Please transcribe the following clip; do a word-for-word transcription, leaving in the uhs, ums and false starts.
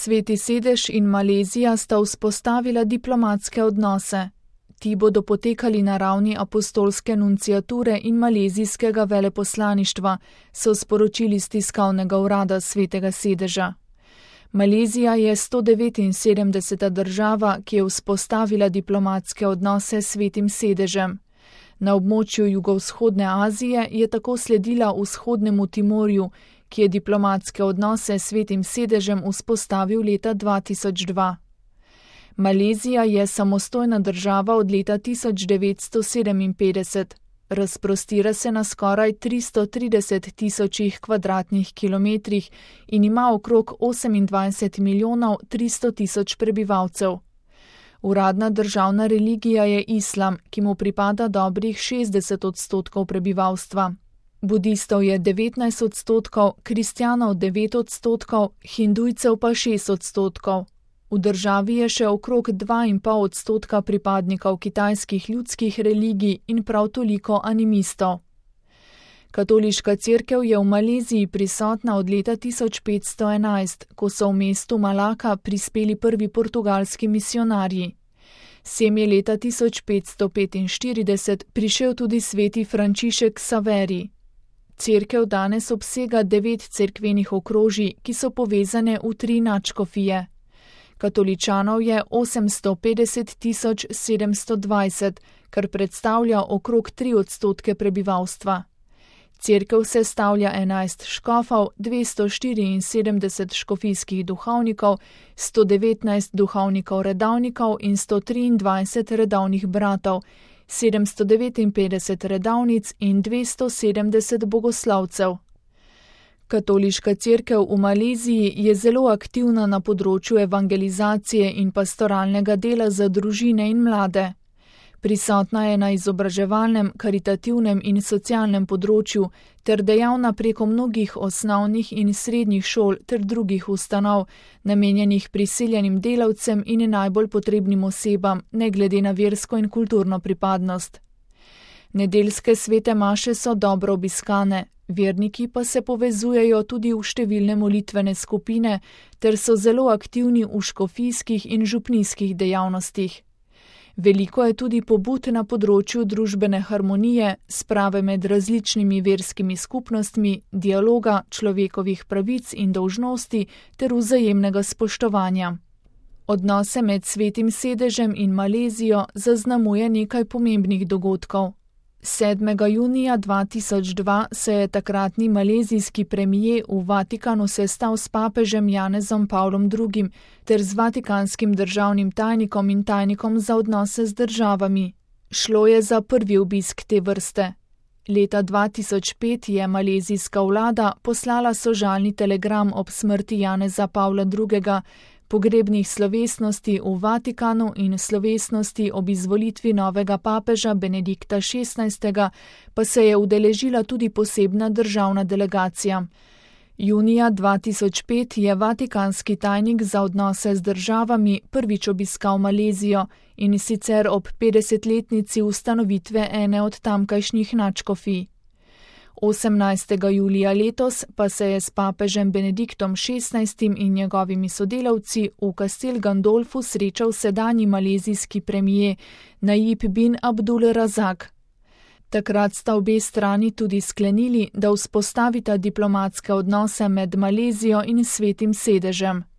Sveti sedež in Malezija sta vzpostavila diplomatske odnose. Ti bodo potekali na ravni apostolske nunciature in malezijskega veleposlaništva, so sporočili z tiskovnega urada Svetega sedeža. Malezija je sto devetinsedemdeseta država, ki je vzpostavila diplomatske odnose s Svetim sedežem. Na območju jugovzhodne Azije je tako sledila vzhodnemu Timorju, ki je diplomatske odnose s Svetim sedežem vzpostavil leta dva tisoč dva. Malezija je samostojna država od leta tisoč devetsto sedeminpetdeset. Razprostira se na skoraj tristo trideset tisočih kvadratnih kilometrih in ima okrog osemindvajset milijonov tristo tisoč prebivalcev. Uradna državna religija je islam, ki mu pripada dobrih šestdeset odstotkov prebivalstva. Budistov je devetnajst odstotkov, kristjanov devet odstotkov, hindujcev pa šest odstotkov. V državi je še okrog dva in pol odstotka pripadnikov kitajskih ljudskih religij in prav toliko animistov. Katoliška cerkev je v Maleziji prisotna od leta tisoč petsto enajst, ko so v mestu Malaka prispeli prvi portugalski misionarji. Sem je leta tisoč petsto petinštirideset prišel tudi sveti Frančišek Saveri. Cerkev danes obsega devet cerkvenih okrožij, ki so povezane v tri nadškofije. Katoličanov je osemsto petdeset tisoč sedemsto dvajset, kar predstavlja okrog tri odstotke prebivalstva. Cerkev sestavlja enajst škofov, dvesto štiriinsedemdeset škofijskih duhovnikov, sto devetnajst duhovnikov redavnikov in sto triindvajset redavnih bratov, sedemsto devetinpetdeset redavnic in dvesto sedemdeset bogoslovcev. Katoliška cerkev v Maleziji je zelo aktivna na področju evangelizacije in pastoralnega dela za družine in mlade. Prisotna je na izobraževalnem, karitativnem in socialnem področju ter dejavna preko mnogih osnovnih in srednjih šol ter drugih ustanov, namenjenih priseljenim delavcem in najbolj potrebnim osebam, ne glede na versko in kulturno pripadnost. Nedeljske svete maše so dobro obiskane, verniki pa se povezujejo tudi v številne molitvene skupine ter so zelo aktivni v škofijskih in župnijskih dejavnostih. Veliko je tudi pobud na področju družbene harmonije, sprave med različnimi verskimi skupnostmi, dialoga, človekovih pravic in dolžnosti ter vzajemnega spoštovanja. Odnose med Svetim sedežem in Malezijo zaznamuje nekaj pomembnih dogodkov. sedmega junija dva tisoč dva se je takratni malezijski premijer v Vatikanu sestal s papežem Janezom Pavlom drugim ter z vatikanskim državnim tajnikom in tajnikom za odnose z državami. Šlo je za prvi obisk te vrste. Leta dva tisoč pet je malezijska vlada poslala sožalni telegram ob smrti Janeza Pavla drugega, pogrebnih slovesnosti v Vatikanu in slovesnosti ob izvolitvi novega papeža Benedikta šestnajstega pa se je udeležila tudi posebna državna delegacija. Junija dva tisoč pet je vatikanski tajnik za odnose z državami prvič obiskal Malezijo in sicer ob petdesetletnici ustanovitve ene od tamkajšnjih nadškofij. osemnajstega julija letos pa se je s papežem Benediktom šestnajstim in njegovimi sodelavci v Kastel Gandolfu srečal sedanji malezijski premijer Najib bin Abdul Razak. Takrat sta obe strani tudi sklenili, da vzpostavita diplomatske odnose med Malezijo in Svetim sedežem.